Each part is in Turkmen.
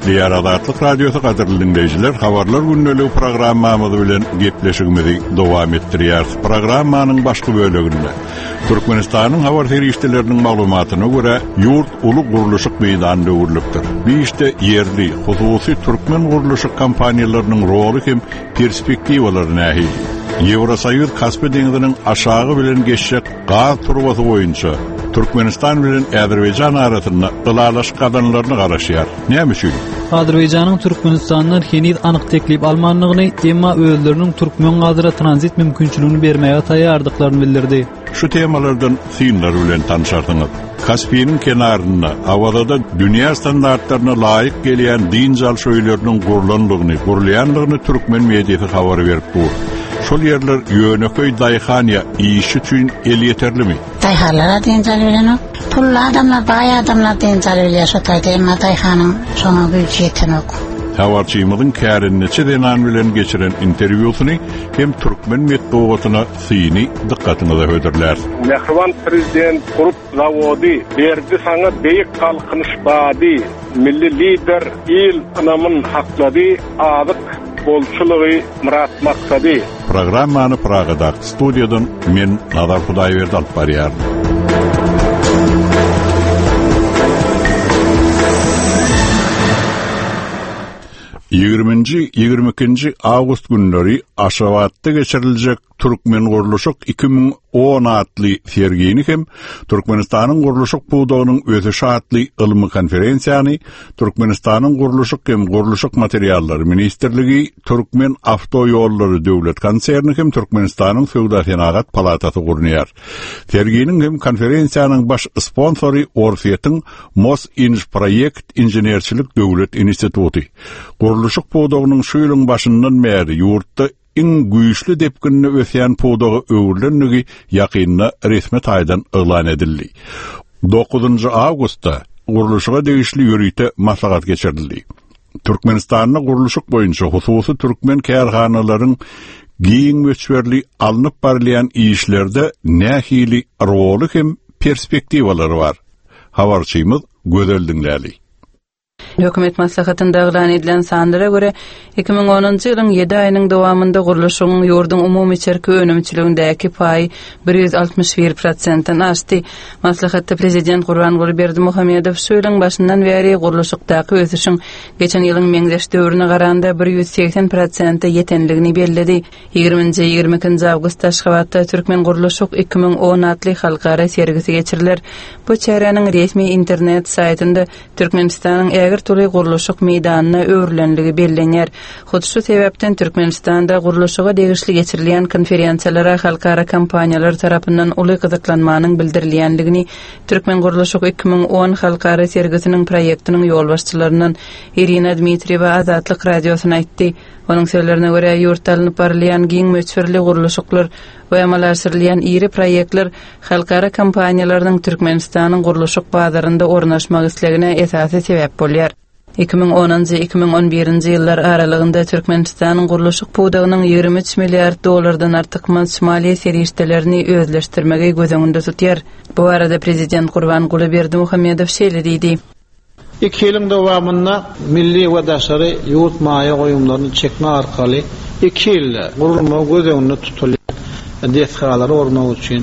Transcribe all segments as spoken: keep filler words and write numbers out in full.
Gepleýär Azatlyk Radiosy gadyrly dinleýjiler, habarlar gündeligi programmamyz bilen gepleşigimizi dowam etdirýäris. Programmanyň başky böleginde Türkmenistanyň habar serişdeleriniň maglumatyna görä, ýurt uly gurluşyk meýdanyna öwrülipdir. Bu işde ýerli, hususy türkmen gurluşyk kompaniýalarynyň roly hem perspektiwalary nähili? Ýewrosoýuz Kaspi deňziniň aşagy bilen geçjek gaz turbasy boýunça Türkmenistan bilen Azerbaýjan arasynda ylalaşyk gazanlaryny garaşýar. Näme üçin? Azerbaýjanyň Türkmenistandan heniz anyk teklip almandygyny, emma özleriniň türkmen gazyna tranzit mümkinçiligini bermäge taýýardyklaryny bildirdi. Şu temalardan synlar bilen tanışarsyňyz. Kaspiniň kenarynda Awazada dünýä standartlaryna laýyk gelýän dynç alyş öýleriniň gurlandygyny, gurulýandygyny türkmen mediasy habar berip dur. Şol ýerler ýönekeý daýhan ýa iş üçin elýeterlimi? Daýhanlara dynç alybilenok. Pully adamlar, baý adamlar dynç alybilýär şo taýda, emma daýhanyň şoňa güýji ýetenok. Habarçymyzyň kärendeçi zenan bilen geçiren interwýusyny hem türkmen metbugatyna syny dykgatyňyza hödürlär. Mähriban prezident gurup zawody berdi saňa beýik galkynyş bady. Milli lider il ynamyn haklady, azyk bolçulygy myrat maksady. Programmany Pragadaky studiýadan men Nazar Hudaýberdi alyp barýaryn. Ýigriminji, ýigrimi ikinji awgust günleri Aşgabatda geçiriljek Türkmen gurluşyk iki müň on atly sergini hem Türkmenistanyň gurluşyk pudagynyň ösüşi atly ylmy konferensiýany Türkmenistanyň gurluşyk hem gurluşyk materiallary ministrligi, Türkmen awtoýollary döwlet konserni hem Türkmenistanyň Söwda Senagat Palatasy gurnaýar. Serginiň hem konferensiýanyň baş sponsory Orsýetiň Mosinžproýekt inženerçilik döwlet instituty. Gurluşyk pudagynyň şu ýylyň başyndan bäri ýurtda iň güýçli depginli ösýän pudaga öwrülendigi ýakynda resmi taýdan yglan edildi. Dokuzynjy awgustda gurluşyga degişli ýörite maslahat geçirildi. Türkmenistanda gurluşyk boýunça hususy türkmen kärhanalaryň giň möçberli alnyp barylýan işlerde nähili roly hem perspektiwalary bar? Habarçymyz Gözel diňläli. Hökümet maslahatynda yglan edilen sanlara görä, iki müň onunjy ýylyň ýedi aýynyň dowamynda gurluşygyň ýurduň umumy içerki önümçiligindäki paýy bir ýüz altmyş bir prosentden aşdy. Maslahatda prezident Gurbanguly Berdimuhamedow şu ýylyň başyndan bäri gurluşykdaky ösüşiň geçen ýylyň meňzeş döwrüne garanda bir ýüz segsen prosente ýetenligini belledi. Ýigriminji, ýigrimi ikinji awgustda Aşgabatda Türkmen gurluşyk iki müň on atly halkara sergisi geçiriler. Bu çäräniň resmi internet saýtynda Türkmenistanyň ägirt uly gurluşyk meýdanyna öwrülenligi bellenýär. Hut şu sebäpden Türkmenistanda gurluşyga degişli geçirilýän konferensiýalara halkara kompaniýalar tarapyndan uly gyzyklanmanyň bildirilýänligini Türkmen gurluşyk iki müň on halkara sergisiniň proýektiniň ýolbaşçylaryndan Irina Dmitriýewa Azatlyk radiosyna aýtdy. Onuň sözlerine görä, ýurtda alnyp barylýan giň möçberli gurluşyklar we amala aşyrylýan iri proýektler halkara kompaniýalarynyň Türkmenistanyň gurluşyk bazarynda ornaşmak islegine esasy sebäp bolýar. Iki müň onunjy, iki müň on birinji ýyllar aralygynda Türkmenistanyň gurluşyk pudagynyň ýigrimi üç milliard dollardan artykmaç maliýe serişdelerini özleşdirmegi göz öňünde tutýar. Bu barada prezident Gurbanguly Berdimuhamedow şeýle diýdi. Iki ýylyň dowamynda milli we daşary ýurt maýa goýumlaryny çekme arkaly iki ýylda gurulmagy göz öňünde tutulýan desgalary gurmak üçin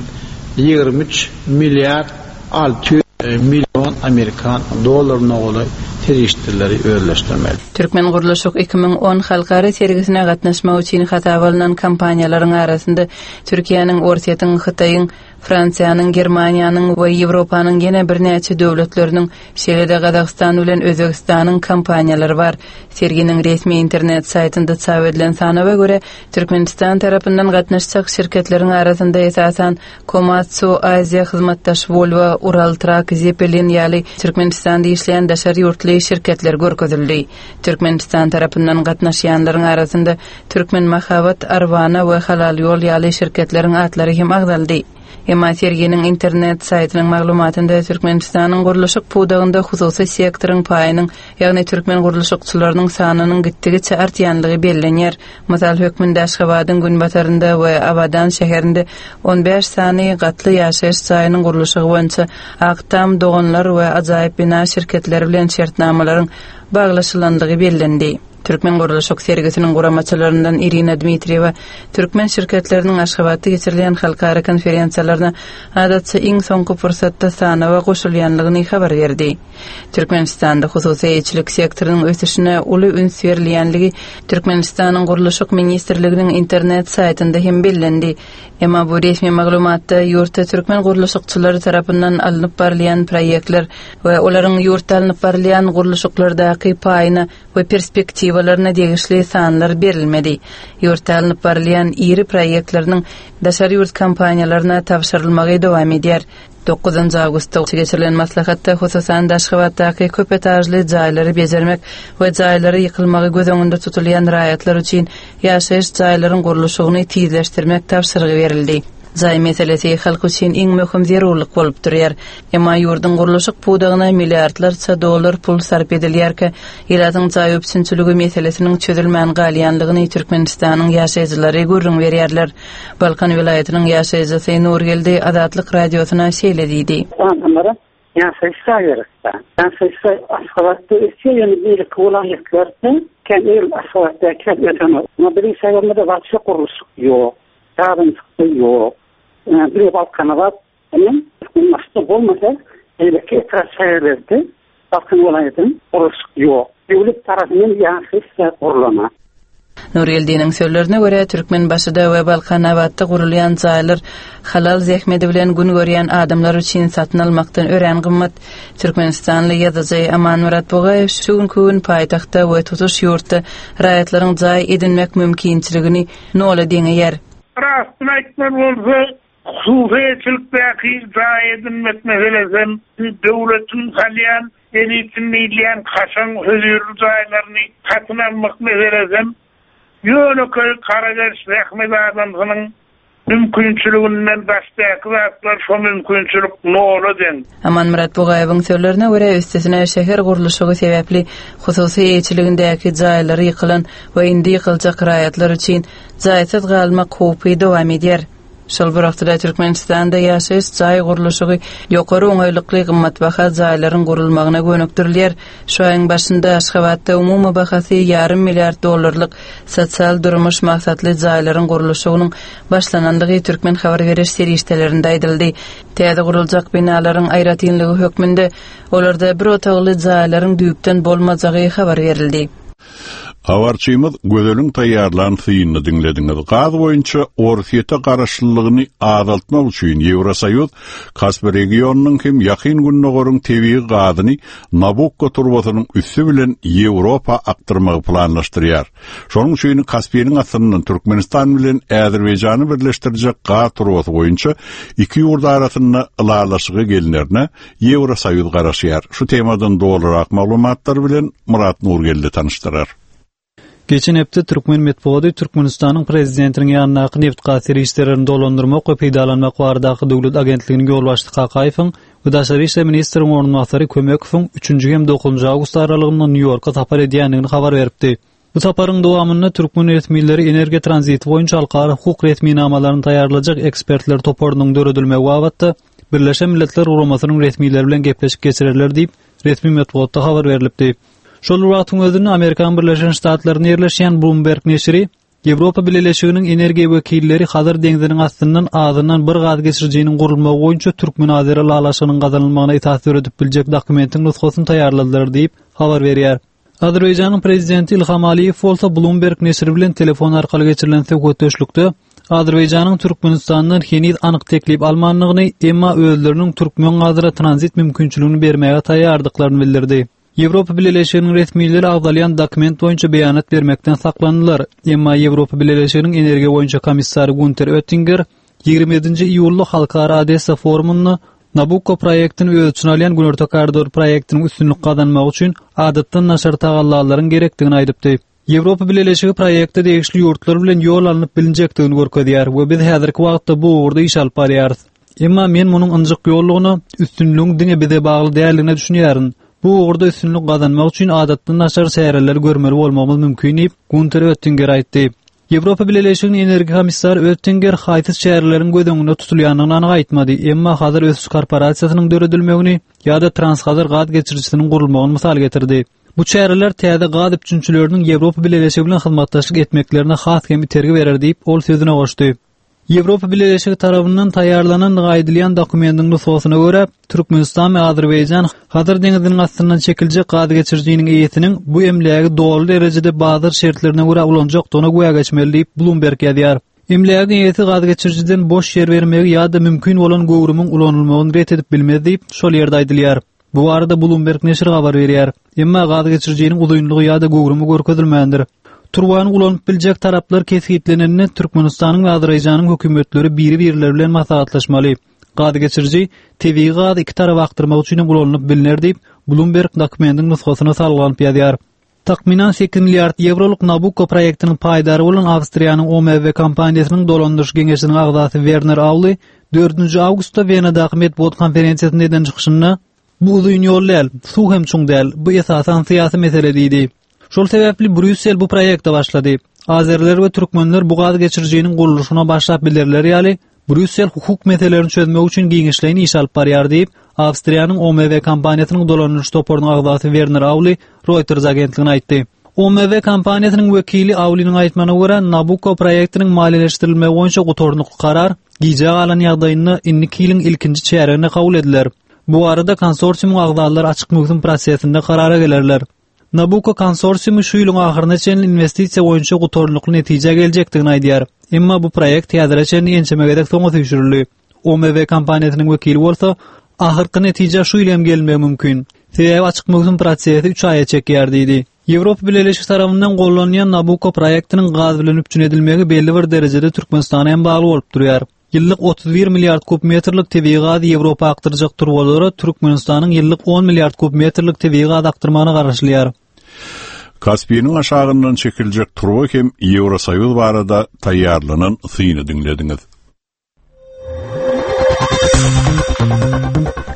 ýigrimi üç milliard alty ýüz million amerikan dollaryna golaý serişdeleri özleşdirmeli. Türkmen gurluşyk iki müň on halkara sergisine gatnaşmak üçin hasaba alynan kompaniýalaryň arasynda Türkiýäniň, Orsýetiň, Hytaýyň, Fransiýanyň, Germaniýanyň we Ýewropanyň ýene birnäçe döwletleriniň, şeýle-de Gazagystan bilen Özbegistanyň kompaniýalary bar. Serginiň resmi internet saýtynda çap edilen sanawa görä, Türkmenistan tarapyndan gatnaşjak şirketleriň arasynda esasan Komatsu, Aziýa hyzmatdaş Volvo, Ural Truck, Zeppelin ýaly Türkmenistanda işleýän daşary ýurtly şirketler görkezildi. Türkmenistan tarapyndan gatnaşýanlaryň arasynda Türkmen Mahabat, Arwana we Halal Ýol ýaly şirketleriň atlary hem agzaldy. Emma serginiň internet saýtynyň maglumatynda Türkmenistanyň gurluşyk pudagynda hususy sektoryň paýynyň, ýagny türkmen gurluşykçylarynyň sanynyň gitdigiçe artýanlygy bellenýär. Mysal hökmünde Aşgabadyň günbatarynda we Abadan şäherinde on bäş sany gatly ýaşaýyş jaýynyň gurluşygy boýunça Aktam, Doganlar we Ajaýyp bina şirketleri bilen şertnamalaryň baglaşylandygy bellendi. Türkmen gurluşyk sergisiniň guramaçylaryndan Irina Dmitriýewa türkmen şirketleriniň Aşgabatda geçirilýän halkara konferensiýalaryna adatça iň soňky pursatda sanawa goşulýanlygyny habar berdi. Türkmenistanda hususy eýeçilik sektorynyň ösüşine uly üns berilýänligi Türkmenistanyň Gurluşyk ministrliginiň internet saýtynda hem bellendi. Emma bu resmi maglumatda ýurtda türkmen gurluşykçylary tarapyndan alnyp barylýan proýektler we olaryň ýurtda alnyp barylýan gurluşyklardaky paýyna we perspektiwalaryna degişli sanlar berilmedi. Ýurtda alnyp barylýan iri proýektleriniň daşary ýurt kompaniýalaryna tabşyrylmagy dowam edýär. Dokuzynjy awgustda geçirilen maslahatda hususan Aşgabatdaky köp etažly jaýlary bejermek we jaýlary ýykylmagy göz öňünde tutulýan raýatlar üçin ýaşaýyş jaýlaryň gurluşygyny tizleşdirmek tabşyrygy berildi. Jaý meselesi halk üçin iň möhüm zerurlyk bolup durýar. Emma ýurduň gurluşyk pudagyna milliardlarça dollar pul sarp edilýärkä, ilatyň jaý üpjünçiligi meselesiniň çözülmän galýanlygyny Türkmenistanyň ýaşaýjylary gürrüň berýärler. Balkan welaýatynyň ýaşaýjysy Nurgeldi Azatlyk radiosyna şeýle diýdi. Adamlara ýaşaýyş jaý gerek. Ýaşaýyş jaý Aşgabatda ösýär, ýöne beýleki welaýatlarda kän el Aşgabatda kän ösenok. Amma biziň şäherimizde wagtça gurluşyk ýok, ýagynçyk ýok. Bir Balkanabat, başda bolmasa, beýleki etrap şäherlerde Balkan welaýatynyň gurluşyk ýok. Döwlet tarapyndan ýaşaýyş jaý gurulana. Nurgeldiniň sözlerine görä Türkmenbaşyda we Balkanabatda gurulýan jaýlar halal zähmeti bilen gün görýän adamlar üçin satyn almakdan örän gymmat. Türkmenistanly ýazyjy Amanmyrat Bugaýew şu günki gün paýtagtda we tutuş ýurtda raýatlaryň jaý edinmek mümkinçiligini nola deňeýär. Rastyny aýtmaly bolsa, hususyýetçilikdäki jaý edinmek meselesi döwletiň salýan, elitin diýilýän kaşaň hözirli jaýlaryny satyn almak meselesi ýönekeý garageç zähmet adamsynyň mümkinçiliginden daşdaky zatlar şo mümkinçilik nola deň. Amanmyrat Bugaýewiň sözlerine görä üstesine şäher gurluşygy sebäpli hususy eýeçiligindäki jaýlary ýykylan we indi ýykyljak raýatlar üçin jaýsyz galmak howpy dowam edýär. Şol bir wagtda Türkmenistanda ýaşaýyş jaý gurluşygy ýokary oňaýlykly gymmatbaha jaýlaryň gurulmagyna gönükdirilýär. Şu aýyň başynda Aşgabatda umumy bahasy ýarym milliard dollarlyk sosial durmuş maksatly jaýlaryň gurluşygynyň başlanandygy türkmen habar beriş serişdelerinde aýdyldy. Täze guruljak binalaryň aýratynlygy hökmünde olarda bir otagly jaýlaryň düýpden bolmajagy habar berildi. Habarçymyz Gözeliň taýýarlan synyny diňlediňiz. Gaz boýunça Orsýete garaşlylygyny azaltmak üçin Ýewrosoýuz Kaspi regionynyň hem ýakyn gündogaryň tebigy gazyny Nabukko turbasynyň üsti bilen Ýewropa akdyrmagy planlaşdyrýar. Şonuň üçin Kaspiniň astyndan Türkmenistan bilen Azerbaýjany birleşdirjek gaz turbasy boýunça iki ýurt arasynda ylalaşyga gelinlerine Ýewrosoýuz garaşýar. Şu temadan dolurak maglumatlar bilen Murat Nurgeldi tanyşdyrar. Geçen hepde Türkmen metbugaty Türkmenistanyň prezidentiniň ýanyndaky neft gaz serişdelerini dolandyrmak we peýdalanmak baradaky döwlet agentliginiň ýolbaşçysy Kakaýewiň we daşary işler ministriniň orunbasary Kömekowyň üçünji hem dokuzynjy awgust aralygynda Nýu-Ýorka sapar edýändigini habar beripdi. Bu saparyň dowamynda türkmen resmileri energiýa tranziti boýunça halkara hukuk resminamalaryny taýýarlajak ekspertler toparynyň döredilmegi babatda Birleşen Milletler Guramasynyň resmileri bilen gepleşik geçirerler diýip resmi metbugatda habar berilipdi. Şol bir wagtyň özünde Amerikan Birleşen Ştatlaryna ýerleşýän Bloomberg neşiri Ýewropa Bileleşiginiň energiýa wekilleri Hazar deňziniň astyndan azyndan bir gaz geçirijiniň gurulmagy boýunça Türkmen-Azeri ylalaşygynyň gazanylmagyna esas döredip biljek dokumentiň nusgasyny taýýarladylar diýip habar berýär. Azerbaýjanyň prezidenti Ilham Aliýew bolsa Bloomberg neşiri bilen telefon arkaly geçirilen söhbetdeşlikde Azerbaýjanyň Türkmenistandan heniz anyk teklip almandygyny, emma özleriniň türkmen gazyna tranzit mümkinçiligini bermäge taýýardyklaryny bildirdi. Ýewropa Bileleşiginiň resmileri agzalýan dokument boýunça beýanat bermekden saklandylar. Emma Ýewropa Bileleşiginiň energiýa boýunça komissary Günter Oettinger ýigrimi ýedinji iýulda Halkara Odessa forumynda Nabukko proýektini öz içine alýan Günorta koridor proýektiniň üstünlik gazanmagy üçin adatdan daşary tagallalaryň gerekdigini aýdypdy. Ýewropa Bileleşigi proýekte degişli ýurtlar bilen ýol alnyp bilinjekdigini görkezýär we biz häzirki wagtda bu ugurda iş alyp barýarys. Emma men munuň ynjyk ýollugyna, üstünligiň diňe bize bagly däldigine düşünýärin. Bu ugurda üstünlik gazanmak üçin adatdan daşary çäreler görmeli bolmagymyz mümkin diýip, Günter Öttinger aýtdy. Ýewropa Bileleşiginiň energiýa komissary Öttinger haýsy çäreleriň göz öňünde tutulýandygyny anyk aýtmady, emma Hazar ösüş korporasiýasynyň döredilmegini ýa-da Transhazar gaz geçirijisiniň gurulmagyny mysal getirdi. Bu çäreler täze gaz üpjünçileriniň Ýewropa Bileleşigi bilen hyzmatdaşlyk etmeklerine has hem itergi berer diýip, ol sözüne goşdy. Ýewropa Bileleşigi tarapyndan taýýarlanandygy aýdylýan dokumentiň nusgasyna görä, Türkmenistan we Azerbaýjan Hazar deňiziniň astyndan çekiljek gaz geçirijiniň eýesiniň bu emlägi doly derejede bazar şertlerine görä ulanjakdygyna güwä geçmeli diýip, Bloomberg ýazýar. Emlägiň eýesi gaz geçirijiden boş ýer bermegi ýa-da mümkin bolan göwrümiň ulanylmagyny ret edip bilmez diýip, şol ýerde aýdylýar. Bu barada Bloomberg neşiri habar berýär. Emma gaz geçirijiniň uzynlygy ýa-da göwrümi görkezilmändir. Turbany ulanyp biljek taraplar kesgitlenende Türkmenistanyň we Azerbaýjanyň hökümetleri biri-birleri bilen maslahatlaşmaly. Gaz geçiriji tebigy gazy iki tarapa akdyrmak üçin hem ulanylyp bilner diýip, Bloomberg dokumentiň nusgasyna salgylanyp ýazýar. Takmynan sekiz milliard ýewrolyk Nabucco proýektiniň paýdary bolan Awstriýanyň O M W kompaniýasynyň dolandyryş geňeşiniň agzasy Werner Auli dördünji awgustda Wenadaky metbugat konferensiýasynda eden çykyşynda Bu uzyn ýol däl, suw hem çuň däl, bu esasan syýasy mesele diýdi. Şol sebäpli Brýussel bu proýekte başlady. Azerler we türkmenler bu gaz geçirijiniň gurluşyna başlap bilerler ýaly, Brýussel hukuk meselelerini çözmek üçin giňişleýin iş alyp barýar diýip, Awstriýanyň O M W kompaniýasynyň dolandyryş toparynyň agzasy Werner Auli Reuters agentligine aýtdy. O M W kompaniýasynyň wekili Auliniň aýtmagyna görä, Nabucco proýektiniň maliýeleşdirilmegi boýunça gutarnykly karar gijä galan ýagdaýynda indiki ýylyň ilkinji çärýeginde kabul ediler. Bu arada konsorsiumyň agzalary açyk möwsüm prosesinde karara gelerler. Nabucco konsorsiumy şu ýylyň ahyryna çenli investisiýa boýunça gutarnykly netijä geljekdigini aýdýar. Emma bu proýekt häzire çenli ençeme gezek soňa süýşürildi. O M W kompaniýasynyň wekili bolsa, ahyrky netijä şu ýyl hem gelmegi mümkin. Sebäbi açyk möwsüm prosesi üç aýa çekýär diýdi. Ýewropa Bileleşigi tarapyndan gollanýan Nabucco proýektiniň gaz bilen üpjün edilmegi belli bir derejede Türkmenistana hem bagly bolup durýar. Ýyllyk otuz bir milliard kub metrlik tebigy gazy Ýewropa akdyrjak turbalara Türkmenistanyň ýyllyk on milliard kub metrlik tebigy gaz akdyrmagyna garaşylýar. Kaspiniň aşagyndan çekiljek turba hem Ýewrosoýuz barada taýýarlanan syny diňlediňiz.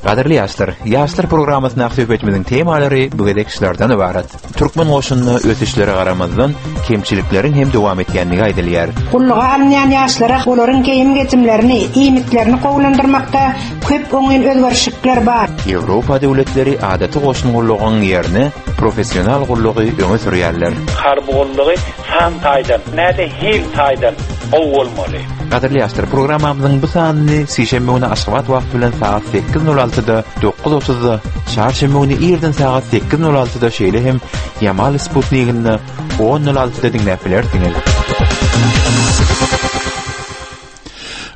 Gadyrly ýaşlar, ýaşlar programmasyndaky söhbetimiziň temalary bu gezek şulardan ybarat. Türkmen goşunyna ösüşlere garamazdan kemçilikleriň hem dowam etýändigi aýdylýar. Gulluga alynýan ýaşlara olaryň geýim geçimlerini, iýmitlerini gowulandyrmakda köp oňyn özgerişlikler bar. Ýewropa döwletleri adaty goşun gullugyň ýerine professional gullugy öňe sürýärler. Harby gullugy san taýdan, näde hil taýdan gowy bolmaly. Gadyrly ýaşlar, programmamyzyň bu sanyny sişenbe güni Aşgabat wagty bilen sagat sekiz nol altyda, dokuz otuzda, çarşenbe güni irden sagat sekiz nol altyda, şeýle hem Ýamal Sputnikinde on nol altyda diňläp bilersiňiz.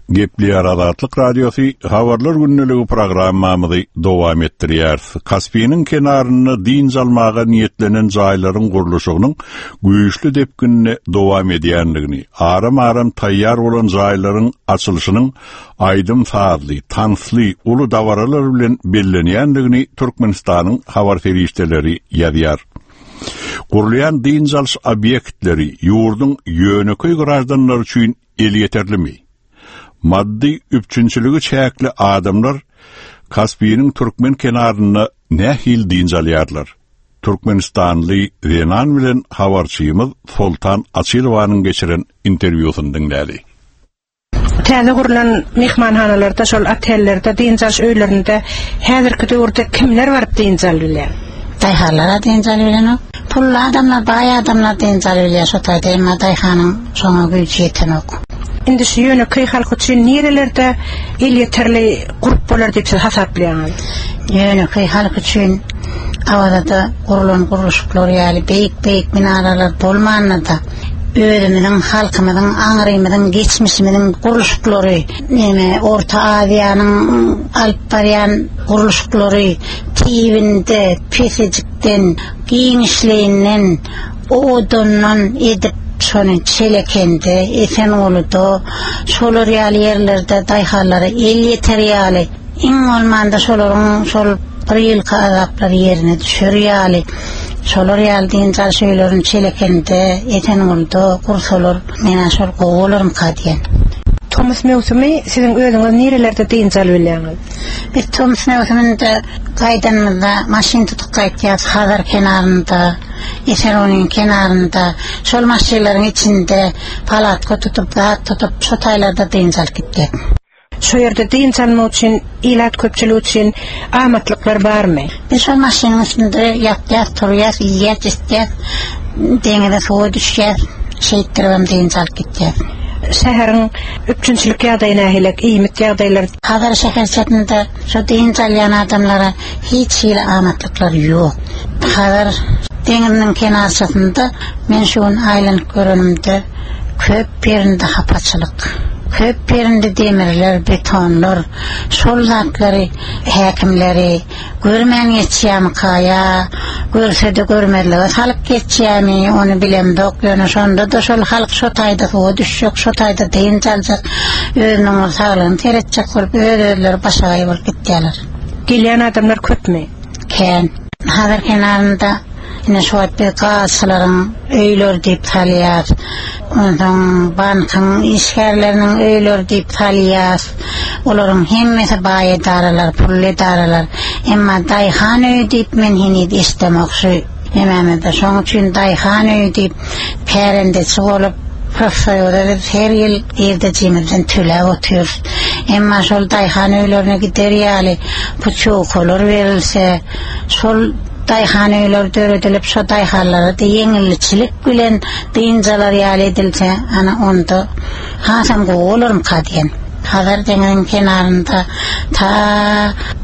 Gepleýär Azatlyk Radiosy habarlar gündeligi programmamyzy dowam etdirýär. Kaspiniň kenarynda dynç almaga niýetlenen jaýlaryň gurluşygynyň güýçli depginde dowam edýändigini, aram-aram taýýar bolan jaýlaryň açylyşynyň aýdym-sazly, tansly, uly dabaralar bilen bellenýändigini Türkmenistanyň habar serişdeleri ýazýar. Gurulýan dynç alyş obýektleri ýurduň ýönekeý graždanlar üçin elýeterlimi? Maddy üpjünçiligi çäkli adamlar Kaspiniň türkmen kenarynda nähili dynç alýarlar? Türkmenistanly zenan bilen habarçymyz Soltan Açylowanyň geçiren interwýusyny diňläli. Täze gurulan mehmanhanalarda, şol otellerde, dynç alyş öýlerinde häzirki döwürde kimler baryp dynç alyp bilýär? Daýhanlar dynç alyp bilenok. Pully adamlar, baý adamlar dynç alyp bilýär şo taýda, emma daýhanyň şoňa güýji ýetenok. Indi şu ýönekeý halk üçin nerelerde elýeterli gurup bolar diýip siz hasaplaýaňyz? Ýönekeý halk üçin Awazada gurulan gurluşyklar ýaly beýik-beýik minaralar bolmanda-da özümiziň, halkymyzyň, aňrymyzyň, geçmişimiziň gurluşyklary, näme Orta Aziýanyň alyp barýan gurluşyklary tibinde, pesejikden, giňişliginden, owadandan edip şony Çelekende, Esengulyda, şolar ýaly ýerlerde daýhanlara el ýeter ýaly, iň bolmanda şolaryň şol bir ýylky azaplary ýerine düşer ýaly, şolar ýaly dynç alyş öýlerini Çelekende, Esengulyda gursalar, menä şol gowy bolarmyka diýen. Tomus möwsümi siziň özüňiz nirelerde dynç alyp bilýäňiz? Biz tomus möwsüminde gaýdanymyzda maşyn tutup gaýtýas Hazar kenarynda, Eseronyň kenarynda, şol maşynlaryň içinde palatka tutup, zat tutup, şo taýlarda dynç alyp gitdik. Şu ýerde dynç almak üçin, ilat köpçüligi üçin amatlyklar barmy? Biz şol maşynyň üstünde ýatýas, turýas, iýýäs, içýäs, deňize suwa düşýäs, şeýtdiribem dynç alyp gitýäs. Şäheriň üpjünçilik ýagdaýy nähili, iýmit ýagdaýlary? Hazar şäherçesinde şu dynç alýan adamlara hiç hili amatlyklar ýok. Hazar deňiziniň kenarçasynda men şu gün aýlanyp görenimde köp ýerinde hapaçylyk, köp ýerinde demirler, betonlar, şol zatlary häkimleri görmän geçýärmi ýa görse-de görmezlige salyp geçýärmi, ony bilemzok. Ýöne şonda da şol halk şo taýda suwa düşjek, şo taýda dynç aljak, özüniň saglygyny seretjek bolup öz-özleri başagaý bolup gitýärler. Gelýän adamlar köpmi? Kän. Hazar kenarynda ine şu wagt biz gazçylaryň öýleri diýip salýar. Onsoň bankyň işgärleriniň öýleri diýip salýar. Olaryň hemmesi baý edaralar, pully edaralar. Emma daýhan öýi diýip men heniz eşidemok şu nemämizde. Şoň üçin daýhan öýi diýip kärendeçi bolup profsoýuza biz her ýyl girdejimizden töläp otyrys. Emma şol daýhan öýlerine gider ýaly putýowkalar berilse, şol daýhan öýleri döredilip, şo daýhanlara da ýeňilçilik bilen dynç alar ýaly edilse, ana onda hasam gowy bolarmyka diýen. Hazar deňiziniň kenarynda ta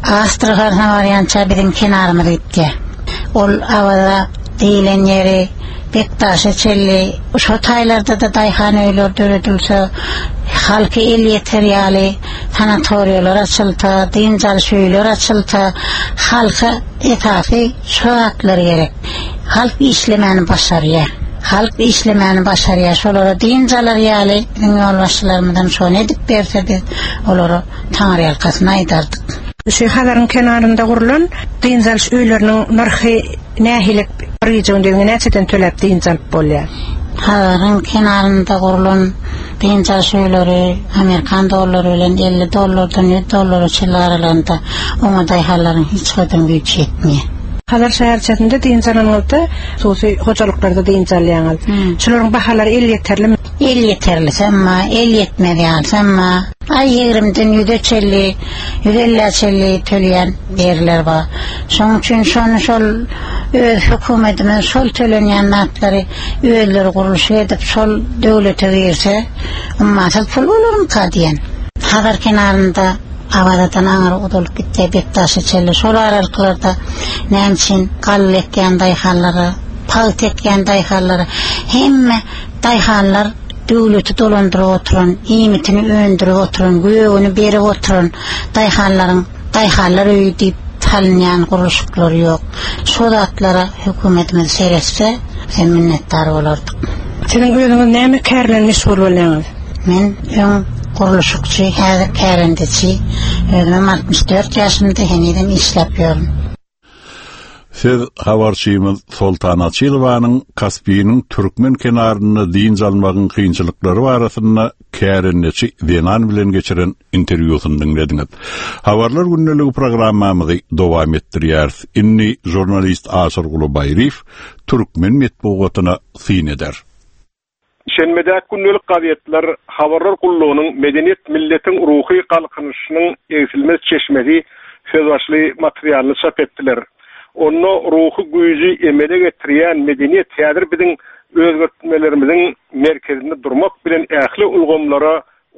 Astrahan'a barýança biziň kenarymyz gitdi. Ol Awaza diýilen ýeri Bektaşa çenli şo taýlarda da daýhan öýleri döredilse, halky el ýeter ýaly sanatoriýalar açylsa, dynç alyş öýler açylsa, halka esasy şu zatlar gerek. Halk işlemäni başarýar. Halk işlemäni başarýar. Şolara dynç alar ýaly biziň ýolbaşçylarymyzdan şony edip berse biz olara Taňry ýalkasyny aýdardyk. Şu Hazaryň kenarynda gurlan dynç alyş öýleriniň nyrhy nähili bir gije gündizine näçeden töläp dynç alyp bolýar? Hazaryň kenarynda gurlan dynç alyş öýleri Amerikan dollary bilen elli dollardan ýüz dollara çenli aralygynda oňa daýhanlaryň hiç haýdan güýji ýetmeýär. Hazar şäherçesinde dynç alanyňyzda hususy hojalyklarda dynç alýaňyz. Hmm. Şularyň bahalary el ýeterlimi? El ýeterlisi emma, el ýetmez ýalysy emma aý ýigrimden ýüze çenli, ýüz ellä çenli töleýän ýerler bar. Şonuň üçin şony şol öz hökümetimiz şol tölenýän zatlary özleri gurluşyk edip şol döwlete girse, ummasyz pul bolarmyka diýen. Hazar kenarynda Awazadan aňry uzalyp gitdi Bektaşa çenli şol aralyklarda näme üçin galla ekýän daýhanlara, pagta ekýän daýhanlara hemme daýhanlar döwleti dolandyryp oturan, iýmitini öndürip oturan, gögüni berip oturan daýhanlaryň daýhanlar öýi diýip salynýan gurluşyklary ýok. Şo zatlara hökümetimiz seretse, sen minnetdar bolardyk. Siziň özüňiz näme kär bilen meşgul bolýaňyz? Men öň gurluşykçy, häzir kärendeçi. Özüm altmyş dört ýaşymda henizem işläp ýörün. Siz habarçymyz Soltan Açylowanyň Kaspiniň türkmen kenarynda dynç almagyň kynçylyklary barasynda kärendeçi zenan bilen geçiren interwýusyny diňlediňiz. Habarlar gündeligi programmamyzy dowam etdirýäris. Indi žurnalist Aşyrguly Baýryýew türkmen metbugatyna syn eder. Şenbedäki gündelik gazetler Habarlar gullugynyň Medeniýet milletiň ruhy galkynyşynyň egsilmez çeşmesi söz başly materialyny çap etdiler. Onda ruhy güýji emele getirýän medeniýet häzir biziň özgertmelerimiziň merkezinde durmak bilen ähli ulgamlara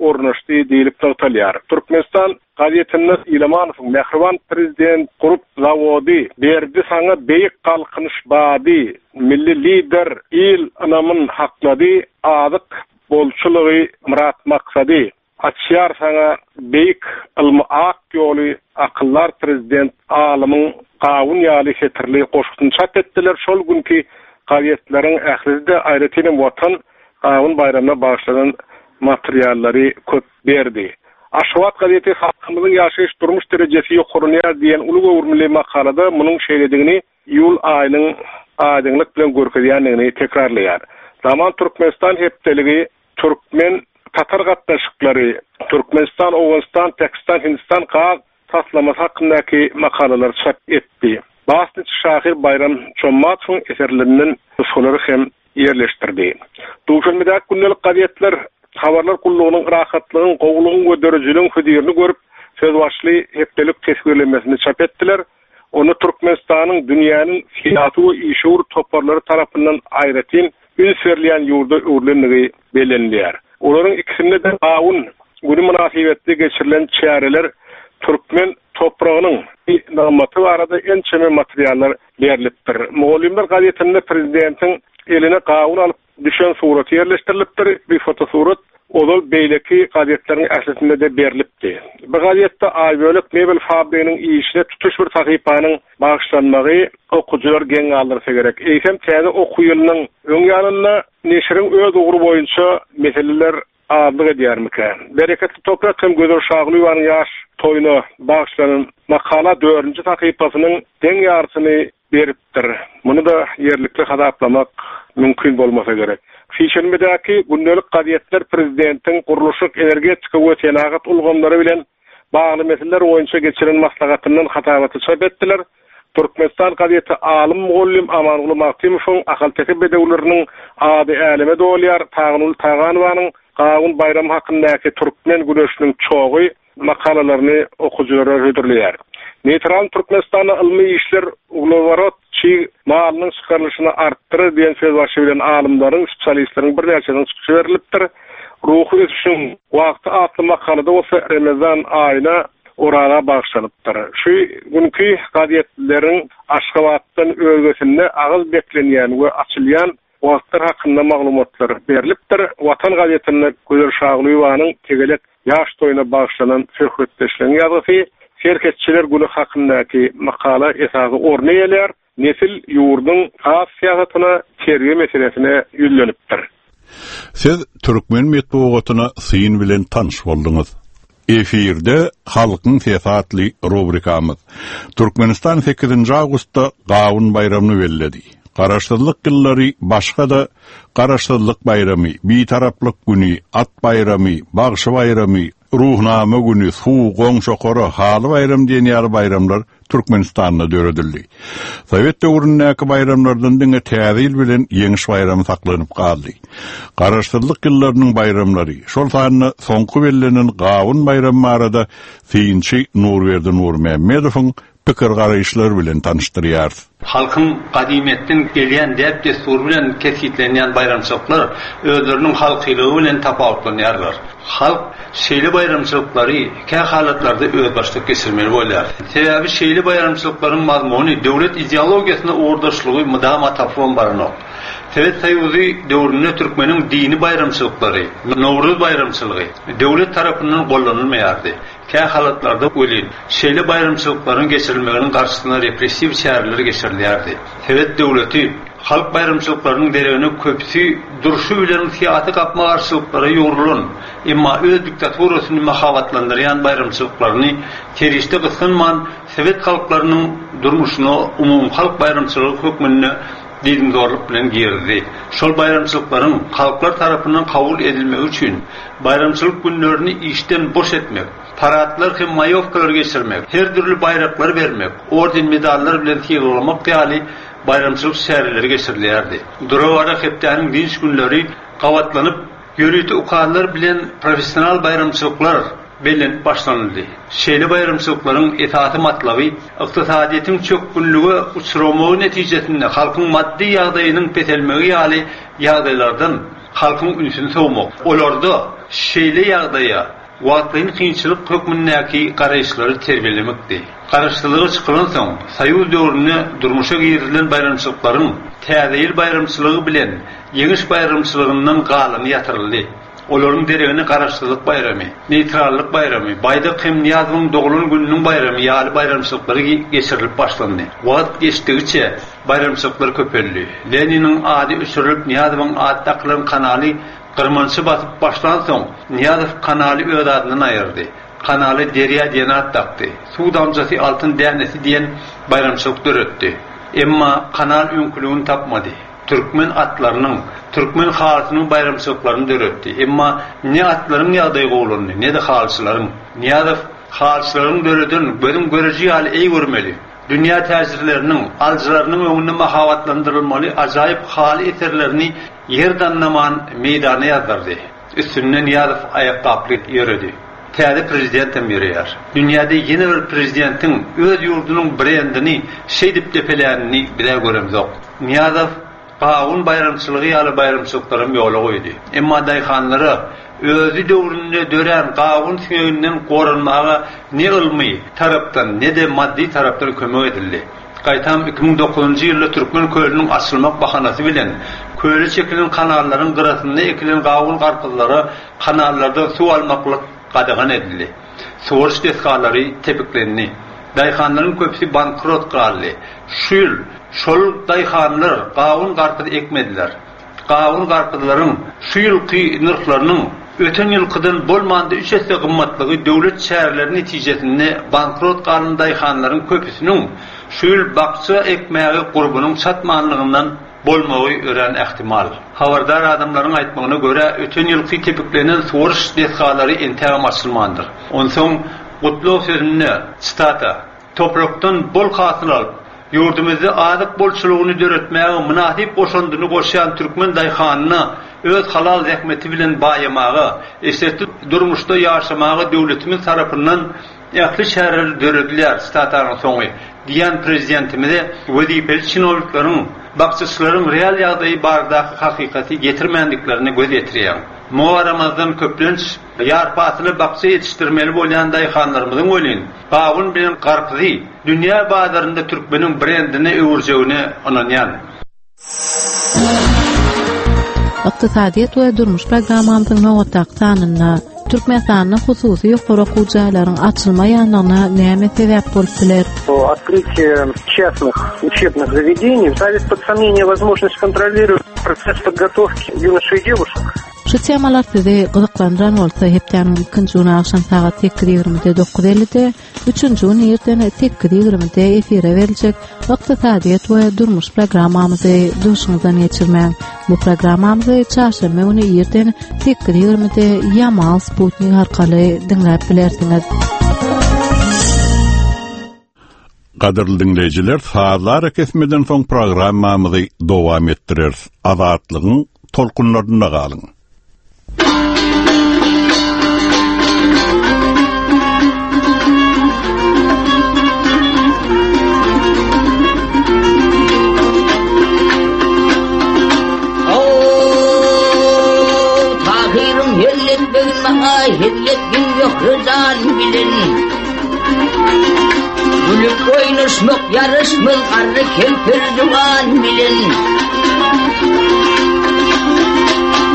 ornaşdy diýilip nygtalýar. Türkmenistan gazetinde Ilamanowyň Mähriban prezident gurup zawody berdi saňa beýik galkynyş bady, milli lider il ynamyn haklady, azyk bolçulygy myrat maksady. Açýar saňa beýik ylmy ak ýoly akyllar prezident alymyň gawun ýaly setirli goşgusyny çap etdiler. Şol günki gazetleriň ählisi-de aýratynam Watan gawun baýramyna bagyşlanan materiallary köp berdi. Aşgabat gazeti halkymyzyň ýaşaýyş durmuş derejesi ýokarlanýar diýen uly göwrümli makalada munuň şeýledigini iýul aýynyň aýdyňlyk bilen görkezýändigini tekrarlaýar. Zaman Türkmenistan hepdeligi Türkmen Tatar gatnaşyklary, Türkmenistan, Owganystan, Pakistan, Hindistan gaz taslamasy hakyndaky makalalar çap etdi. Basniç şahyr Bayram Çommatowyň eserlerinden nusgalary hem ýerleşdirdi. Duşenbedäki gündelik gazetler habarlar gullugynyň rahatlygyň, gowulygyň we dörejiligiň hözirini görüp, söz başly hepdelik teswirlemesini çap etdiler. Onu Türkmenistanyň dünýäniň syýasy we işewür toparlary tarapyndan aýratyn üns berilýän ýurda öwrülendigi bellenilýär. Olaryň ikisinde de gawun günü mynasybetli geçirilen çäreler türkmen topragynyň nygmaty barada ençeme materiallar berilipdir. Mugallymlar gazetinde prezidentiň eline gawun alyp düşen suraty ýerleşdirilipdir. Bir fotosurat ozal beýleki gazetleriň ählisinde de berilipdi. Bu gazetde Aýbölek mebel fabriginiň işine tutuş bir sahypanyň bagyşlanmagy okujylar geň galdyrsa gerek. Eýsem täze okuw ýylynyň öň ýanynda neşiriň öz ugry boýunça meseleler azlyk edýärmikä? Bereketli toprak hem Gözel Şagulyýewanyň ýaş toýuna bagyşlanan makala dördünji sahypasynyň deň ýarysyny beripdir. Muny da ýerlikli hasaplamak mümkin bolmasa gerek. Sişenbedäki gündelik gazetler prezidentiň gurluşyk, energetika we senagat ulgamlary bilen bagly meseleler boýunça geçiren maslahatyndan hasabaty çap etdiler. Türkmenistan gazeti alym mugallym Amanguly Magtymowyň Ahalteke bedewleriniň ady äleme dolýar, Taganul Taganowanyň Gawun baýramy hakyndaky türkmen güneşiniň çogy makalalaryny okujylara hödürleýär. Neytral Türkmenistanda ylmy işler ugleworod çig malynyň çykarylyşyny artdyrar diýen söz başy bilen alymlaryň, spesialistleriň birnäçesiniň çykyşy berilipdir. Ruhy ösüşiň wagty atly makalada bolsa Ramazan aýyna oraga bagyşlanypdyr. Şu günki gazetleriň Aşgabatdan özgesinde agyz beklenýän we açylýan wagtlar hakynda maglumatlar berilipdir. Watan gazetinde Gözel Şagulyýewanyň tegelek ýaş toýuna bagyşlanan söhbetdeşligiň ýazgysy Serhetçiler günü hakyndaky makala esasy orny eýeleýär. Nesil ýurduň has syýasatyna, terbiýe meselesine ýüzlenipdir. Siz türkmen metbugatyna syn bilen tanyş bolduňyz. Efirde Halkyň Sesi atly rubrikamyz. Türkmenistan sekizinji awgustda Gawun baýramyny belledi. Garaşsyzlyk ýyllary başga da Garaşsyzlyk baýramy, Bitaraplyk günü, At baýramy, Bagşy baýramy, Ruhnama günü, Suw, Goňşokara, Haly baýram diýen ýaly baýramlar Türkmenistanda döredildi. Sowet döwründäki baýramlardan diňe Täze ýyl bilen Ýeňiş baýramy saklanyp galdy. Garaşsyzlyk ýyllarynyň baýramlary, şol sanda soňky bellenen Gawun baýramy barada synçy Nurberdi Nurmämmedowyň pikir garaýyşlary bilen tanyşdyrýar. Halkyň gadymyýetden gelýän däp-dessury bilen kesgitlenýän baýramçylyklar özleriniň halkylygy bilen tapawutlanýarlar. Halk şeýle baýramçylyklary kä halatlarda özbaşdak geçirmeli bolýar. Sebäbi şeýle baýramçylyklaryň mazmuny döwlet ideologiýasyna ugurdaşlygy mydama tapyp baranok. Sowet Soýuzy döwründe türkmeniň dini baýramçylyklary, Nowruz baýramçylygy döwlet tarapyndan gollanylmaýardy. Kä halatlarda welin şeýle baýramçylyklaryň geçirilmeginiň garşysyna repressiw çäreler geçirilýärdi. Sowet döwleti halk baýramçylyklarynyň deregine köpüsi durşy bilen syýasy gapma-garşylyklara ýugrulan, emma öz diktaturasyny mahabatlandyrýan baýramçylyklaryny serişde gysganman sowet halklarynyň durmuşyna umum halk baýramçylygy hökmünde diýdimzorluk bilen girdi. Şol baýramçylyklaryň halklar tarapyndan kabul edilmegi üçin baýramçylyk günlerini işden boş etmek, paradlar hem maýowkalar geçirmek, her dürli baýraklar bermek, orden medallar bilen sylaglamak ýaly baýramçylyk çäreleri geçirilýärdi. Dura-bara hepdäniň dynç günleri gabatlanyp, ýörite ukazlar bilen professional baýramçylyklar bellenip başlanyldy. Şeýle baýramçylyklaryň esasy matlaby ykdysadyýetiň çökgünlige uçramagy netijesinde halkyň maddy ýagdaýynyň peselmegi ýaly ýagdaýlardan halkyň ünsüni sowmak. Olarda şeýle ýagdaýa wagtlaýyn kynçylyk hökmündäki garaýyşlary terbiýelemekdi. Garaşsyzlyga çykylan soň Soýuz döwründe durmuşa girizilen baýramçylyklaryň Täze ýyl baýramçylygy bilen Ýeňiş baýramçylygyndan galany ýatyryldy. Olaryň deregine Garaşsyzlyk baýramy, Neytrallyk baýramy, Baýdak hem Nyýazowyň doglan gününiň baýramy ýaly baýramçylyklary geçirilip başlandy. Wagt geçdigiçe baýramçylyklar köpeldi. Leniniň ady öçürilip Nyýazowyň ady dakylan kanaly Gyrmançy basyp başlan soň Nyýazow kanaly öz adyndan aýyrdy. Kanaly Derýa diýen at dakdy. Suw damjasy altyn dänesi diýen baýramçylyk döretdi. Emma kanal öňküligini tapmady. türkmen atlarynyň, türkmen halysynyň baýramçylyklaryny döretdi. Emma ne atlaryň ýagdaýy gowulandy, ne-de halyçylaryň. Nyýazow halyçylaryň döreden gözüň göreji ýaly eý görmeli, dünýä täjirleriniň, alyjylarynyň öňünde mahabatlandyrylmaly ajaýyp haly eserlerini ýer dannaman meýdana ýazdyrdy. Üstünde Nyýazow aýakgaply ýöredi. Täze prezidentem ýöreýär. Dünýäde ýene bir prezidentiň öz ýurdunyň brendini şeýdip depelänini biz-ä göremzok. Nyýazow gawun baýramçylygy ýaly baýramçylyklaram ýola goýdy. Emma daýhanlara özi döwründe dörän gawun siňeginden goranmaga ne ylmy tarapdan, ne-de maddy tarapdan kömek edildi. Gaýtam iki müň dokuzynjy ýylda Türkmen kölüniň açylmak bahanasy bilen köle çekilen kanallaryň gyrasynda ekilen gawun-garpyzlara kanallardan suw almaklyk gadagan edildi. Suwaryş desgalary tepiklendi. Daýhanlaryň köpüsi bankrot galdy. Şu ýyl şol daýhanlar gawun-garpyz ekmediler. Gawun-garpyzlaryň şu ýylky nyrhlarynyň öten ýylkydan bolmanda üç esse gymmatlygy döwlet çäreleri netijesinde bankrot galan daýhanlaryň köpüsiniň şu ýyl bakja ekmäge gurbunyň çatmanlygyndan bolmagy örän ähtimal. Habardar adamlaryň aýtmagyna görä, öten ýylky tepiklenen suwaryş desgalary entägem açylmandyr. Onsoň gutlag sözünde, sitata, Toprakdan bol hasyl alyp, ýurdumyzda azyk bolçulygyny döretmäge mynasyp goşandyny goşýan türkmen daýhanyna öz halal zähmeti bilen baýamaga, eşretli durmuşda ýaşamaga döwletimiz tarapyndan ähli çäreler döredilýär, sitatanyň soňy, diýen prezidentimize wezipeli çinownikleriň bakjaçylaryň real ýagdaýy baradaky hakykaty getirmändiklerine göz ýetirýäň. Muňa garamazdan köplenç ýarpasyly bakja ýetişdirmeli bolýan daýhanlarymyzyň welin gawun bilen garpyzy dünýä bazarynda türkmeniň brendine öwürjegine ynanýan. Ykdysadyýet we durmuş programmamyzyň nobatdaky sanynda Türkmenistanda hususy ýokary okuw jaýlaryň açylmaýanlygyna näme sebäp bolup biler? Открытие частных учебных заведений ставит под сомнение возможность kontrolировать процесс подготовки юношей и девушек. Şu temalar sizi gyzyklandyran bolsa, hepdäniň ikinji güni agşam sagat sekiz ýigrimide dokuz ellide, üçünji güni irden sekiz ýigrimide efire beriljek Ykdysadyýet we durmuş programmamyzy duşuňyzdan geçirmäň. Bu programmamyzy çarşenbe güni irden sekiz ýigrimide Ýamal Sputnik arkaly diňläp bilersiňiz. Gadyrly diňleýjiler, sazlar kesmeden soň programmamyzy dowam etdireris. Azatlygyň tolkunlarynda galyň. Gülüp oýnaşmak ýaraşmaz garry kempir juwan bilen.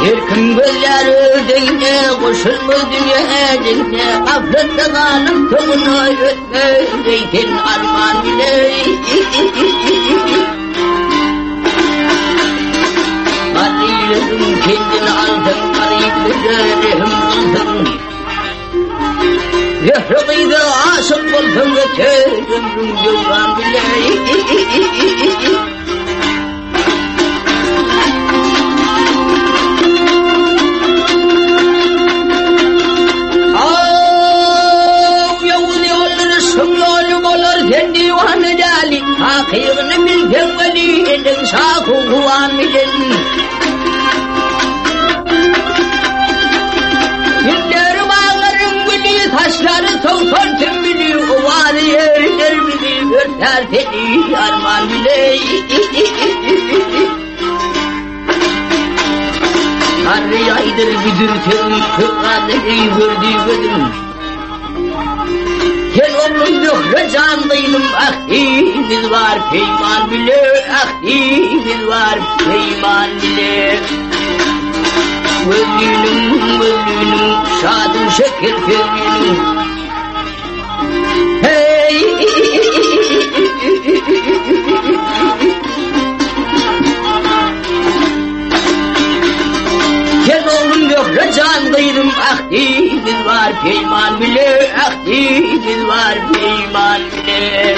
Her kim gözler ödeýine goşulmaz dünýä deňine, gaflatda galyp soňuna ötmez arman bile. Garrylygyň kendini aldyň, garyplyga rehim kyldyň. Zöhre gyza aşyk bolsaň öter ömrüň döwran bile. Aw, ýowuz ýollar şum ýoly bolar, sen diwana däli, hakygyny bilseň weli, eliň şahu huwan bilen. Günleri bağlarım gülü, taşları towsan tümbülü, owazy ýerler bizi, örter seni arman bile. Garry aýdyr büdür teň, köp gördü gözüm. Sen oglum Zöhre jan gyzym, ahdimiz bar peýman bile, ahdimiz bar peýman bile. Gözlüğünün, gözlüğünün, şadım şeker sözlüğünün. Hey! Sen oglum Zöhre jan gyzym, ahdimiz bar peýman bile, ahdimiz bar peýman bile.